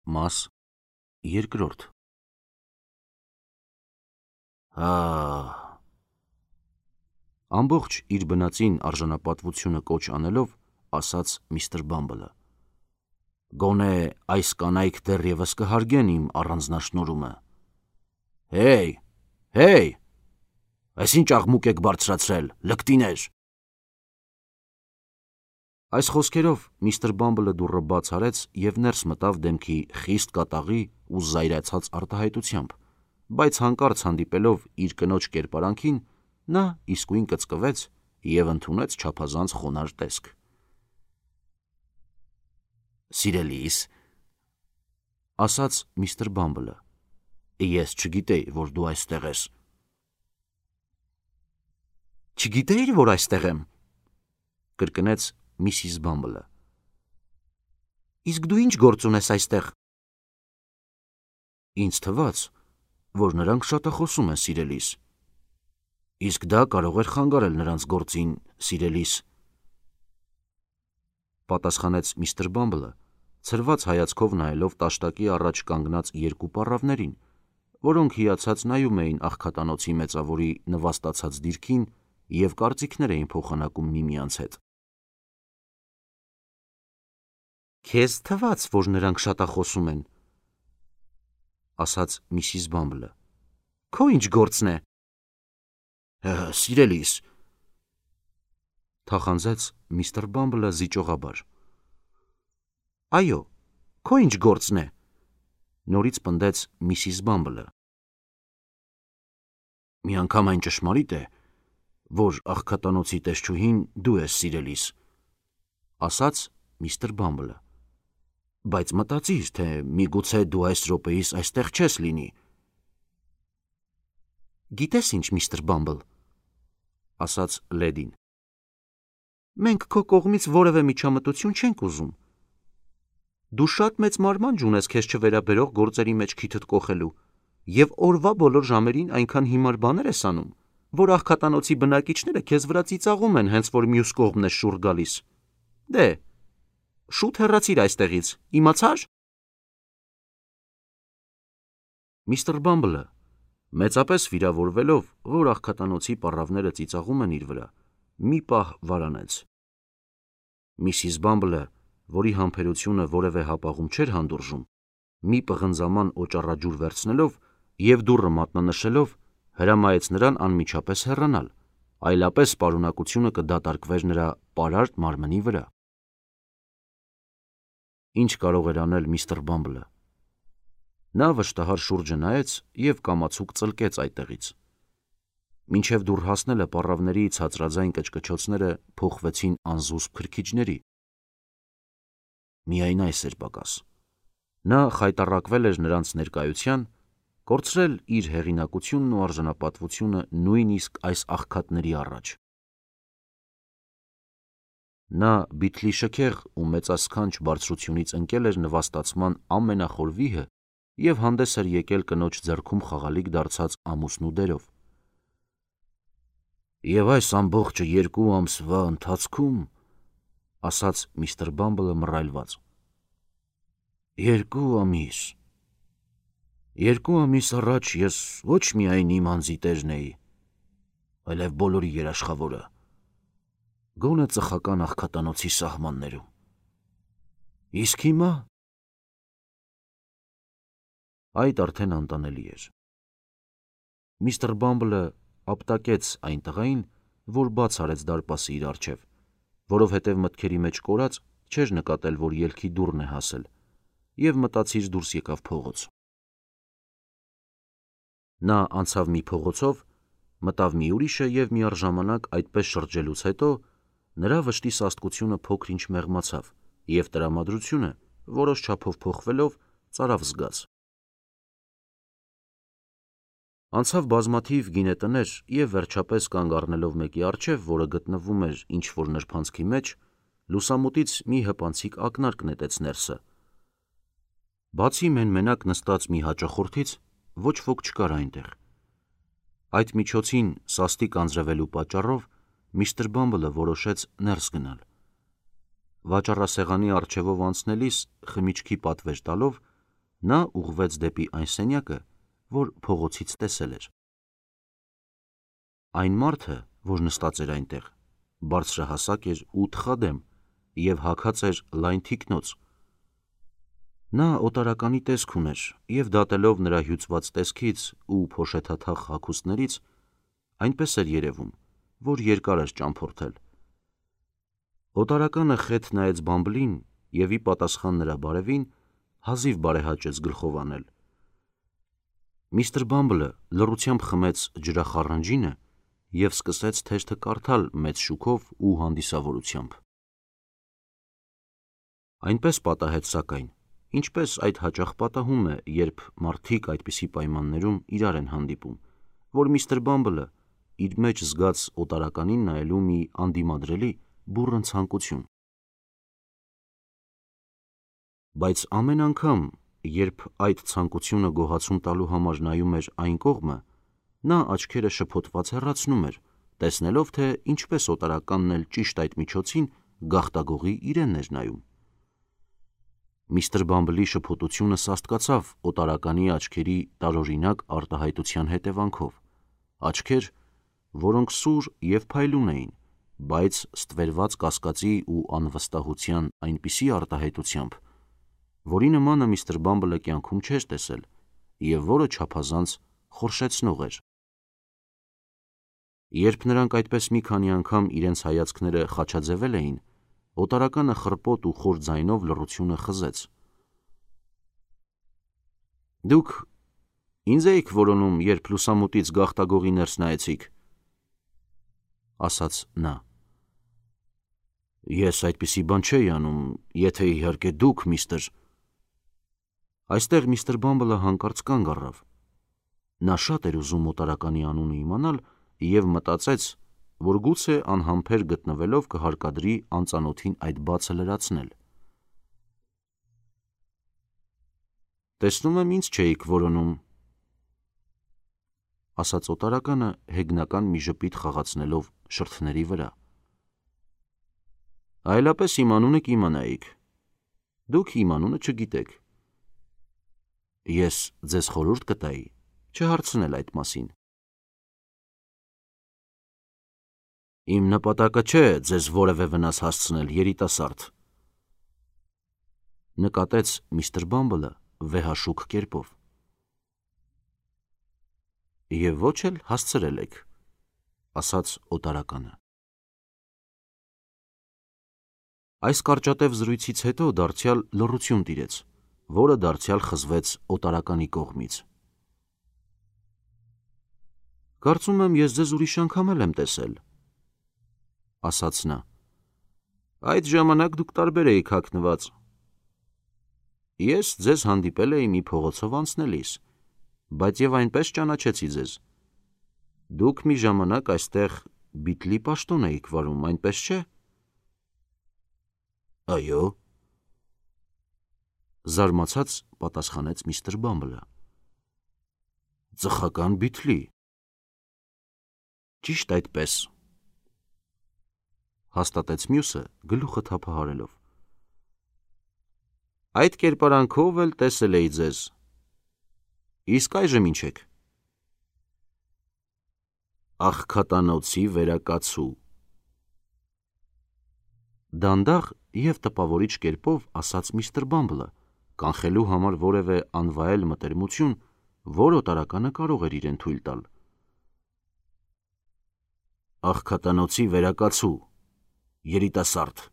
Մաս երկրորդ։ Ամբողջ իր բնածին արժանապատվությունը կոչ անելով, ասաց միստր Բամբլը. Գոնե այս կանայք դեռևս կհարգեն իմ առանձնաշնորհումը։ Հեյ, այս ինչ աղմուկ եք բարձրացրել, լկտիներ։ Այս խոսքերով միստր Բամբլը դուռը բաց արեց և ներս մտավ դեմքի խիստ կատաղի ու զայրացած արտահայտությամբ, բայց հանկարծ հանդիպելով իր կնոջ կերպարանքին, նա իսկույն կծկվեց և ընդունեց չափազանց խոնարհ տեսք։ Սիրելիս, ասաց միստր Բամբլը, ես չգիտեի, որ դու այստեղ ես։ Չգիտեիր, որ այստեղ եմ, կրկնեց Միսիս Բամբլը։ Իսկ դու ինչ գործ ունես այստեղ։ Ինձ թվաց, որ նրանք շատախոսում են, սիրելիս։ Իսկ դա կարող էր խանգարել նրանց գործին, սիրելիս, պատասխանեց միստր Բամբլը, ցրված հայացքով նայելով տաշտակի առաջ կանգնած երկու պառավներին, որոնք հիացած նայում էին աղքատանոցի մեծավորի նվաստացած դիրքին և կարծիքներ էին փոխանակում միմյանց հետ։ Քեզ թվաց, որ նրանք շատախոսում են, ասաց Միսիս Բամբլը։ Քո ինչ գործն է։ Սիրելիս, թախանձեց միստր Բամբլը զիջողաբար։ Այո, քո ինչ գործն է, նորից պնդեց Միսիս Բամբլը։ Միանգամայն ճշմարիտ է, որ աղքատանոցի տեսչուհին դու ես, սիրելիս, ասաց միստր Բամբլը, բայց մտածիր, թե միգուցե դու այս րոպեիս այստեղ չես լինի։ Գիտես ինչ, միստր Բամբլ, ասաց լեդին, մենք քո կողմից որևէ միջամտություն չենք ուզում։ Դու շատ մեծ մարմանջ ունես քեզ չվերաբերող գործերի մեջ քիթդ կոխելու և օրվա բոլոր ժամերին այնքան հիմար բաներ ես անում, որ աղքատանոցի բնակիչները քեզ վրա ծիծաղում են, հենց որ մյուս կողմն ես շուռ գալիս։ Դե, շուտ հեռացիր այստեղից, իմացա՞ր։ Միստր Բամբլը, մեծապես վիրավորվելով, որ աղքատանոցի պառավները ծիծաղում են իր վրա, մի պահ վարանեց։ Միսիս Բամբլը, որի համբերությունը որևէ հապաղում չէր հանդուրժում, մի պղնձաման օճառաջուր վերցնելով և դուռը մատնանշելով, հրամայեց նրան անմիջապես հեռանալ, այլապես պարունակությունը կդատարկվեր նրա պարարտ մարմնի վրա։ Ինչ կարող էր անել միստր Բամբլը։ Նա վշտահար շուրջը նայեց և կամացուկ ծլկեց այդտեղից։ Մինչև դուռ հասնելը պառավների ցածրաձայն կչկչոցները փոխվեցին անզուսպ քրքիջների։ Միայն այս էր պակաս։ Նա խայտառակվել էր նրանց ներկայության, կորցրել իր հեղինակությունն ու արժանապատվությունը նույնիսկ այս աղքատների առաջ։ Նա բիթլիշքեղ ու մեծասքանչ բարձրությունից ընկել էր նվաստացման ամենախոր վիհը և հանդես էր եկել կնոջ ձեռքում խաղալիք դարձած ամուսնու դերով։ Եվ այս ամբողջը 2 ամսվա ընթացքում, ասաց միստր Բամբլը մռայլված։ 2 ամիս։ 2 ամիս առաջ ես ոչ միայն իմ անձի տերն էի, այլև բոլորի երաշխավորը, գոնե ծխական աղքատանոցի սահմաններում։ Իսկ հիմա… Այդ արդեն անտանելի էր։ Միստր Բամբլը ապտակեց այն տղային, որ բաց արեց դարպասը իր առջև, որովհետև մտքերի մեջ կորած չէր նկատել, որ ելքի դուռն է հասել, և մտածիր դուրս եկավ փողոց։ Նա անցավ մի փողոցով, մտավ մի ուրիշը և միառժամանակ այդպես շրջելուց հետո նրա վշտի սաստկությունը փոքր-ինչ մեղմացավ և տրամադրությունը, որոշ չափով փոխվելով, ծարավ զգաց։ Անցավ բազմաթիվ գինետներ և վերջապես կանգ առնելով մեկի առջև, որը գտնվում էր ինչ-որ նրբանցքի մեջ, լուսամուտից մի հպանցիկ ակնարկ նետեց ներսը։ Բացի մենմենակ նստած մի հաճախորդից, ոչ ոք չկար այնտեղ։ Այդ միջոցին սաստիկ անձրևելու պատճառով միստր Բամբլը որոշեց ներս գնալ։ Վաճառասեղանի առջևով անցնելիս խմիչքի պատվեր տալով, Նա ուղղվեց դեպի այն սենյակը, որ փողոցից տեսել էր։ Այն մարդը, որ նստած էր այնտեղ, բարձրահասակ էր ու թխադեմ և հագած էր լայն թիկնոց։ Նա օտարականի տեսք ուներ և դատելով նրա հյուծված տեսքից ու փոշեթաթախ հագուստներից, այնպես էր երևում, որ երկար էր ճամփորդել։ Օտարականը խեթ նայեց Բամբլին և ի պատասխան նրա բարևին հազիվ բարեհաճեց գլխով անել։ Միստր Բամբլը լռությամբ խմեց ջրախառնջինը և սկսեց թերթը կարդալ մեծ շուքով ու հանդիսավորությամբ։ Այնպես պատահեց սակայն, ինչպես այդ հաճախ պատահում է, երբ մարդիկ այդպիսի պայմաններում իրար են հանդիպում, որ միստր Բամբլը իր մեջ զգաց օտարականին նայելու մի անդիմադրելի բուռն ցանկություն։ Բայց ամեն անգամ, երբ այդ ցանկությունը գոհացում տալու համար նայում էր այն կողմը, նա աչքերը շփոթված հեռացնում էր, տեսնելով, թե ինչպես օտարականն էլ ճիշտ այդ միջոցին գաղտագողի իրենն էր նայում։ Միստր Բամբլի շփոթությունը սաստկացավ օտարականի աչքերի տարօրինակ արտահայտության հետևանքով, աչքեր, որոնք սուր և փայլուն էին, բայց ստվերված կասկածի ու անվստահության այնպիսի արտահայտությամբ, որի նմանը միստր Բամբլը կյանքում չէր տեսել և որը չափազանց խորշեցնող էր։ Երբ նրանք այդպես մի քանի անգամ իրենց հայացքները խաչաձևել էին, օտարականը խռպոտ ու խոր ձայնով լռությունը խզեց։ «Դուք ինձ էիք որոնում, երբ լուսամուտից գաղտագողի ներս նայեցիք», ասաց նա։ «Ես այդպիսի բան չէի անում, եթե իհարկե դուք, միստր…» Այստեղ միստր Բամբլը հանկարծ կանգ առավ։ Նա շատ էր ուզում օտարականի անունը իմանալ և մտածեց, որ գուցե անհամբեր գտնվելով կհարկադրի անծանոթին այդ բացը լրացնել։ «Տեսնում եմ, ինձ չէիք որոնում», ասաց օտարականը հեգնական մի ժպիտ խաղացնելով շրթների վրա։ «Այլապես իմ անունը կիմանայիք, դուք իմ անունը չգիտեք։ Ես ձեզ խորհուրդ կտայի չհարցնել այդ մասին»։ «Իմ նպատակը չէ ձեզ որևէ վնաս հասցնել, երիտասարդ», նկատեց միստր Բամբլը վեհաշուք կերպով։ «Եվ ոչ էլ հասցրել եք», ասաց օտարականը։ Այս կարճատև զրույցից հետո դարձյալ լռություն տիրեց, որը դարձյալ խզվեց օտարականի կողմից։ «Կարծում եմ, ես ձեզ ուրիշ անգամ էլ եմ տեսել», ասաց նա։ «Այդ ժամանակ դուք տարբեր էիք հագնված։ Ես ձեզ հանդիպել էի մի փողոցով անցնելիս, բայց և այնպես ճանաչեցի ձեզ։ Դուք մի ժամանակ այստեղ Բիթլի պաշտոն էիք վարում, այնպես չէ՞»։ «Այո», զարմացած պատասխանեց միստր Բամբլը։ «Ծխական Բիթլի»։ «Ճիշտ այդպես», հաստատեց մյուսը գլուխը թափահարելով։ «Այդ կերպարանքով էլ տեսել էի ձեզ։ Իսկ այժմ ինչ եք»։ «Աղքատանոցի վերակացու», դանդաղ և տպավորիչ կերպով ասաց միստր Բամբլը, կանխելու համար որևէ անվայել մտերմություն, որ օտարականը կարող էր իրեն թույլ տալ։ «Աղքատանոցի վերակացու, երիտասարդ»։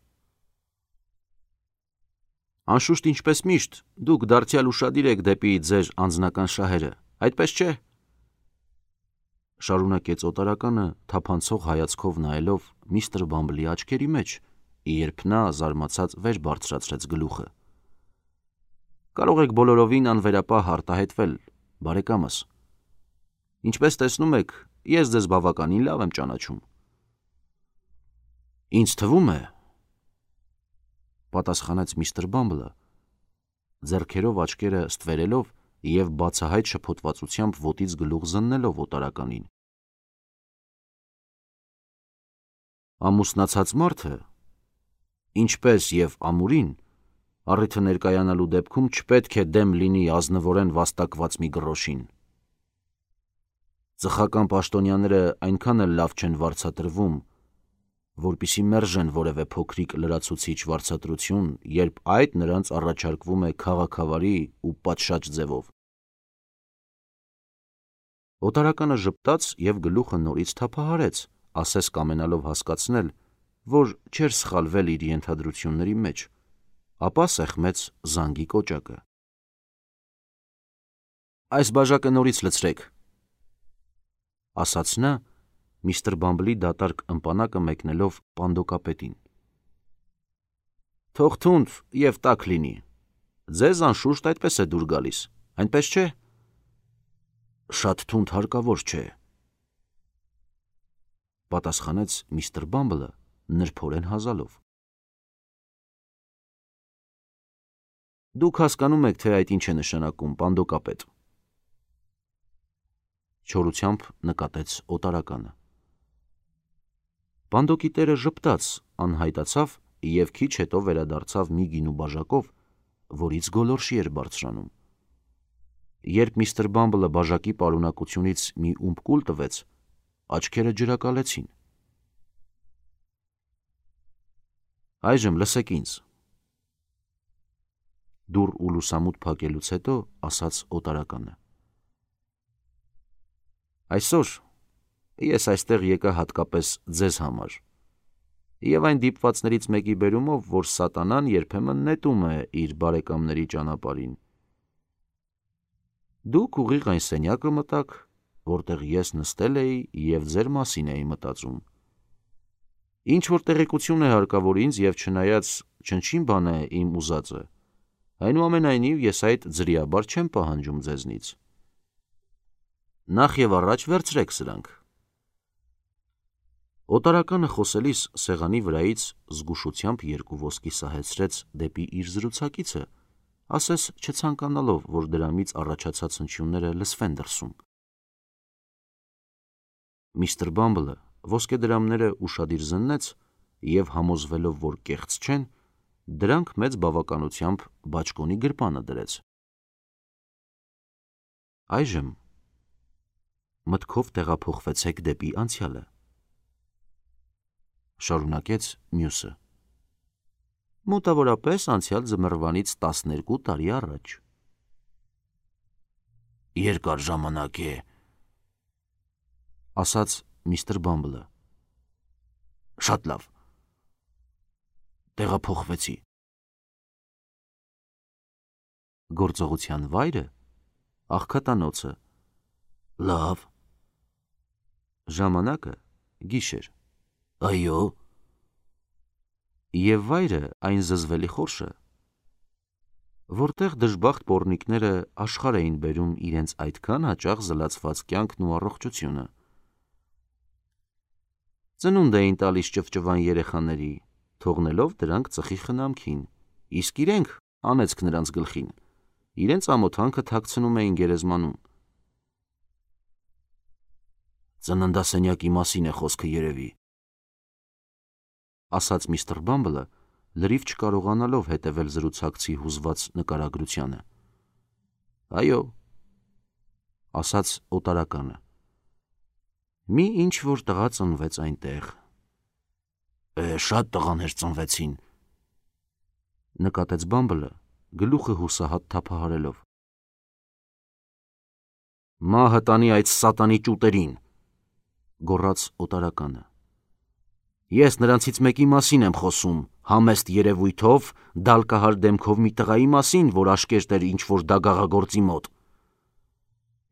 «Անշուշտ, ինչպես միշտ, դուք դարձյալ ուշադիր եք դեպի ձեր անձնական շահերը, այդպես չէ՞», շարունակեց օտարականը թափանցող հայացքով նայելով միստր Բամբլի աչքերի մեջ, երբ նա զարմացած վեր բարձրացրեց գլուխը։ «Կարող եք բոլորովին անվերապահ արտահայտվել, բարեկամս։ Ինչպես տեսնում եք, ես ձեզ բավականին լավ եմ ճանաչում»։ «Ինձ թվում է», պատասխանեց միստր Բամբլը, ձեռքերով աչքերը ստվերելով և բացահայտ շփոթվածությամբ ոտից գլուխ զննելով օտարականին։ «Ամուսնացած մարդը, ինչպես և ամուրին, Առիթը ներկայանալու դեպքում չպետք է դեմ լինի ազնվորեն վաստակված մի գրոշին։ Ծխական պաշտոնյաները այնքան էլ լավ չեն վարձատրվում, որպեսզի մերժեն որևէ փոքրիկ լրացուցիչ վարձատրություն, երբ այդ նրանց առաջարկվում է քաղաքավարի ու պատշաճ ձևով։ Օտարականը ժպտաց և գլուխը նորից թափահարեց, ասես կամենալով հասկացնել, որ չէր սխալվել իր ենթադրությունների մեջ, ապա սեղմեց զանգի կոճակը։ «Այս բաժակը նորից լցրեք», ասաց նա, միստր Բամբլի դատարկ ըմպանակը մեկնելով պանդոկապետին։ «Թող թունդ և տաք լինի, ձեզ անշուշտ այդպես է դուր գալիս, այնպես չէ»։ «Շատ թունդ հարկավոր չէ», պատասխանեց միստր Բամբլը նրբորեն հազալով։ «Դուք հասկանում եք, թե այդ ինչ է նշանակում, պանդոկապետ», չորությամբ նկատեց օտարականը։ Պանդոկի տերը ժպտաց, անհայտացավ և քիչ հետո վերադարձավ մի գինու բաժակով, որից գոլորշի էր բարձրանում։ Երբ միստր Բամբլը բաժակի պարունակությունից մի ումպ կուլ տվեց, աչքերը ջրակալեցին։ «Այժմ լսեք ինձ», դուռ ու լուսամուտ փակելուց հետո ասաց օտարականը։ «Այսօր ես այստեղ եկա հատկապես ձեզ համար և այն դիպվածներից մեկի բերումով, որ սատանան երբեմն նետում է իր բարեկամների ճանապարհին։ Դուք ուղիղ այն սենյակը մտաք, որտեղ ես նստել էի և ձեր մասին էի մտածում։ Ինչ-որ տեղեկություն է հարկավոր ինձ և չնայած չնչին բան է իմ ուզածը, այնուամենայնիվ ես այդ ձրիաբար չեմ պահանջում ձեզնից։ Նախ և առաջ վերցրեք սրանք»։ Օտարականը խոսելիս սեղանի վրայից զգուշությամբ երկու ոսկի սահեցրեց դեպի իր զրուցակիցը, ասես չցանկանալով, որ դրանից առաջացած հնչյունները լսվեն դրսում։ Միստր Բամբլը ոսկեդրամները ուշադիր զննեց և համոզվելով, որ կեղծ չեն, դրանք մեծ բավականությամբ բաճկոնի գրպանը դրեց։ «Այժմ մտքով տեղափոխվեցեք դեպի անցյալը», շարունակեց մյուսը։ «Մոտավորապես անցյալ ձմռվանից 12 տարի առաջ»։ «Երկար ժամանակ է», ասաց միստր Բամբլը։ «Շատ լավ, տեղափոխվեցի»։ «Գործողության վայրը»։ «Աղքատանոցը»։ «Լավ»։ «Ժամանակը»։ «Գիշեր»։ «Այո»։ «Եվ վայրը» այն զզվելի խորշը, որտեղ դժբախտ պոռնիկները աշխարհ էին բերում իրենց այդքան հաճախ զլացված կյանքն ու առողջությունը։ Ծնունդ էին տալիս ճվճվան երեխաների, թողնելով դրանք ծխի խնամքին, իսկ իրենք, անեծք նրանց գլխին, իրենց ամոթանքը թաքցնում էին գերեզմանում։ «Ծննդասենյակի մասին է խոսքը երևի», ասաց միստր Բամբլը, լրիվ չկարողանալով հետևել զրուցակցի հուզված նկարագրությանը։ «Այո», ասաց օտարականը։ «Մի ինչ-որ տղա ծնվեց այնտեղ»։ Շատ տղաներ ծնվեցին», նկատեց Բամբլը, գլուխը հուսահատ թափահարելով։ «Մահը տանի այդ սատանի ճուտերին», գոռաց օտարականը։ «Ես նրանցից մեկի մասին եմ խոսում, համեստ երևույթով, դալկահար դեմքով մի տղայի մասին, որ աշկերտ էր ինչ-որ դագաղագործի մոտ։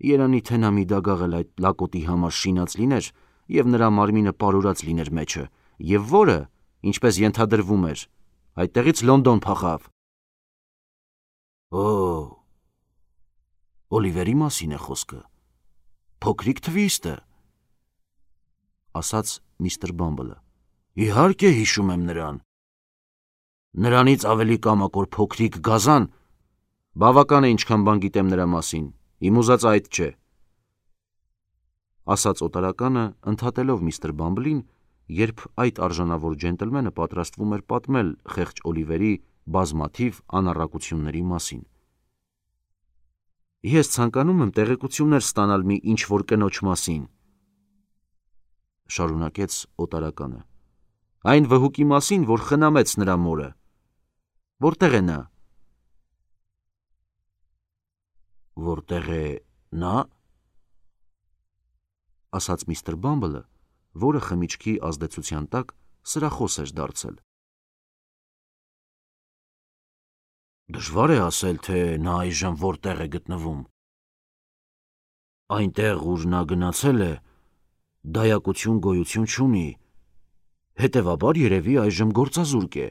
Երանի թե նա մի դագաղ էլ այդ լակոտի համար շինած լիներ, և նրա մարմինը պարուրած լիներ մեջը, և որը, ինչպես ենթադրվում էր, այդտեղից Լոնդոն փախավ»։ Օլիվերի մասին է խոսքը, փոքրիկ թվիստը», ասաց միստր Բամբլը։ «Իհարկե հիշում եմ նրան։ Նրանից ավելի կամակոր փոքրիկ գազան։ Բավական է ինչքան բան գիտեմ նրա մասին, իմ ուզածը այդ չէ», ասաց օտարականը, ընդհատելով միստր Բամբլին, երբ այդ արժանավոր ջենտլմենը պատրաստվում էր պատմել խեղճ Օլիվերի բազմաթիվ անառակությունների մասին։ Ես ցանկանում եմ տեղեկություններ ստանալ մի ինչ-որ կնոջ մասին, շարունակեց օտարականը։ Այն վհուկի մասին, որ խնամեց նրա մորը։ Որտեղ է նա։ Որտեղ է նա, ասաց միստր Բամբլը, որը խմիչքի ազդեցության տակ սրախոս էր դարձել։ Դժվար է ասել, թե նա այժմ որտեղ է գտնվում։ Այնտեղ, ուր նա գնացել է, դայակություն գոյություն չունի, հետևաբար երևի այժմ գործազուրկ է։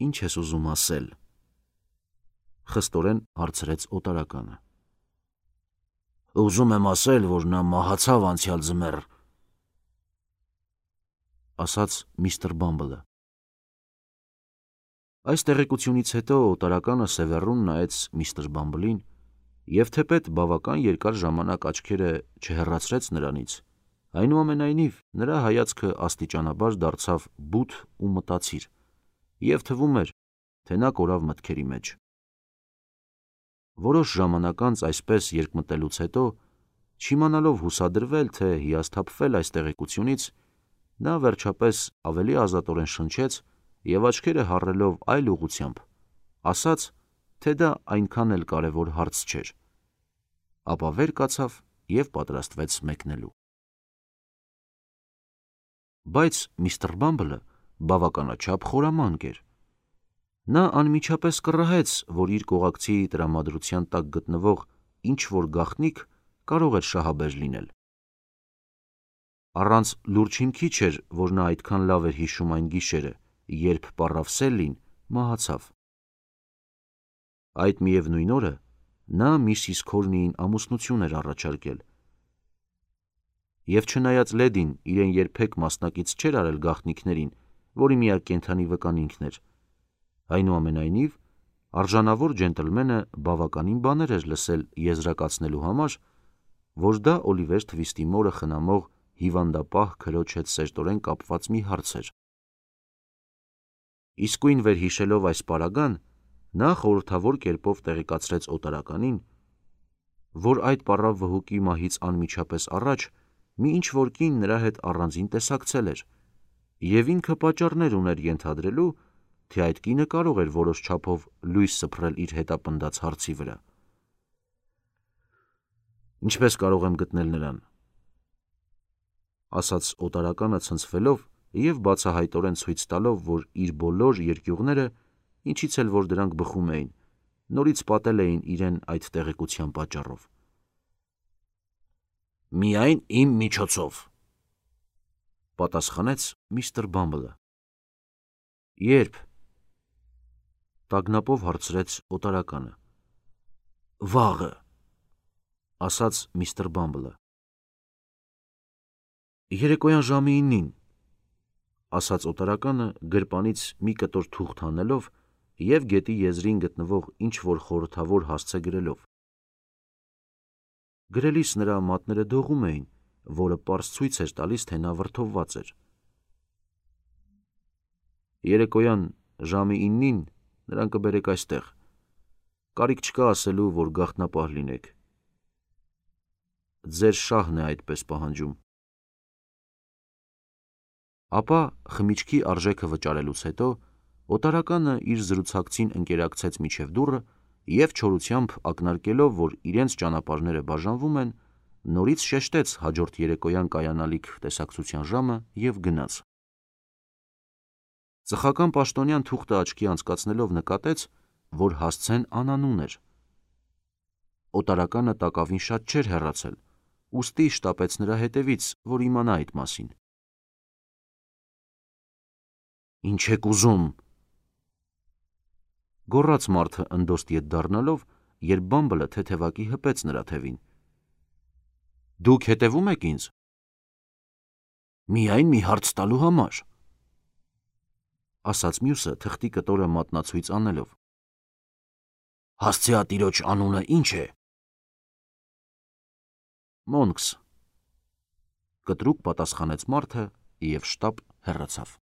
Ինչ ես ուզում ասել, խստորեն հարցրեց օտարականը։ Ուզում եմ ասել, որ նա մահացավ անցյալ ձմեռ, ասաց միստր Բամբլը։ Այս տեղեկությունից հետո օտարականը սևեռուն նայեց միստր Բամբլին և թեպետ բավական երկար ժամանակ աչքերը չհեռացրեց նրանից, այնուամենայնիվ նրա հայացքը աստիճանաբար դարձավ բութ ու մտածիր, և թվում էր, թե նա կորավ մտքերի մեջ։ Որոշ ժամանակ անց այսպես երկմտելուց հետո, չիմանալով հուսադրվել, թե հիասթափվել այս տեղեկությունից, նա վերջապես ավելի ազատորեն շնչեց և աչքերը հառելով այլ ուղղությամբ, ասաց, թե դա այնքան էլ կարևոր հարց չէր, ապա վեր կացավ և պատրաստվեց մեկնելու։ Բայց միստր Բամբլը բավականաչափ խորամանկ էր։ Նա անմիջապես կռահեց, որ իր կողակցի տրամադրության տակ գտնվող ինչ-որ գաղտնիք կարող էր շահաբեժ լինել։ Առանց լուրջ հիմքի չէր, որ նա այդքան լավ էր հիշում այն գիշերը, երբ պառավ Սելլին մահացավ։ Այդ միևնույն օրը նա միսիս Քորնիին ամուսնություն էր առաջարկել, և չնայած լեդին իրեն երբեք մասնակից չէր արել գաղտնիքներին, որի միակ կենդանի վկան ինքն էր, այնուամենայնիվ արժանավոր ջենտլմենը բավականին բաներ էր լսել եզրակացնելու համար, որ դա Օլիվեր Թվիստի մորը խնամող հիվանդապահ քրոջ հետ սերտորեն կապված մի հարց էր։ Իսկույն վերհիշելով այս պարագան, նա խորհրդավոր կերպով տեղեկացրեց օտարականին, որ այդ պառավ վհուկի մահից անմիջապես առաջ մի ինչ-որ կին նրա հետ առանձին տեսակցել էր, և ինքը պատճառներ ուներ ենթադրելու, թե այդ կինը կարող էր որոշ չափով լույս սփռել իր հետապնդած հարցի վրա։ Ինչպես կարող եմ գտնել նրան, ասաց օտարականը ցնցվելով և բացահայտորեն ցույց տալով, որ իր բոլոր երկյուղները, ինչից էլ որ դրանք բխում էին, նորից պատել էին իրեն այդ տեղեկության պատճառով։ Միայն իմ միջոցով, պատասխանեց միստր Բամբլը։ Երբ, տագնապով հարցրեց օտարականը։ Վաղը, ասաց միստր Բամբլը։ Երեկոյան ժամը 9-ին, ասաց օտարականը գրպանից մի կտոր թուղթ հանելով և գետի եզրին գտնվող ինչ-որ խորհրդավոր հասցե գրելով։ Գրելիս նրա մատները դողում էին, որը պարզ ցույց էր տալիս, թե նա վրդովված էր։ Երեկոյան ժամը 9-ին նրան կբերեք այստեղ, կարիք չկա ասելու, որ գաղտնապահ լինեք։ Ձեր շահն է այդպես պահանջում։ Ապա խմիչքի արժեքը վճարելուց հետո օտարականը իր զրուցակցին ընկերակցեց մինչև դուռը և չորությամբ ակնարկելով, որ իրենց ճանապարհները բաժանվում են, նորից շեշտեց հաջորդ երեկոյան կայանալիք տեսակցության ժամը և գնաց։ Ծխական պաշտոնյան թուղթը աչքի անցկացնելով նկատեց, որ հասցեն անանուն էր։ Օտարականը տակավին շատ չէր հեռացել, ուստի շտապեց նրա հետևից, որ իմանա այդ մասին։ Ինչ եք ուզում, գոռաց մարդը ընդոստ ետ դառնալով, երբ Բամբլը թեթևակի հպեց նրա թևին։ Դուք հետևում եք ինձ։ Միայն մի հարց տալու համար, ասաց մյուսը թղթի կտորը մատնացույց անելով։ Հասցեատիրոջ անունը ինչ է։ Մոնքս, կտրուկ պատասխանեց մարդը և շտապ հեռացավ։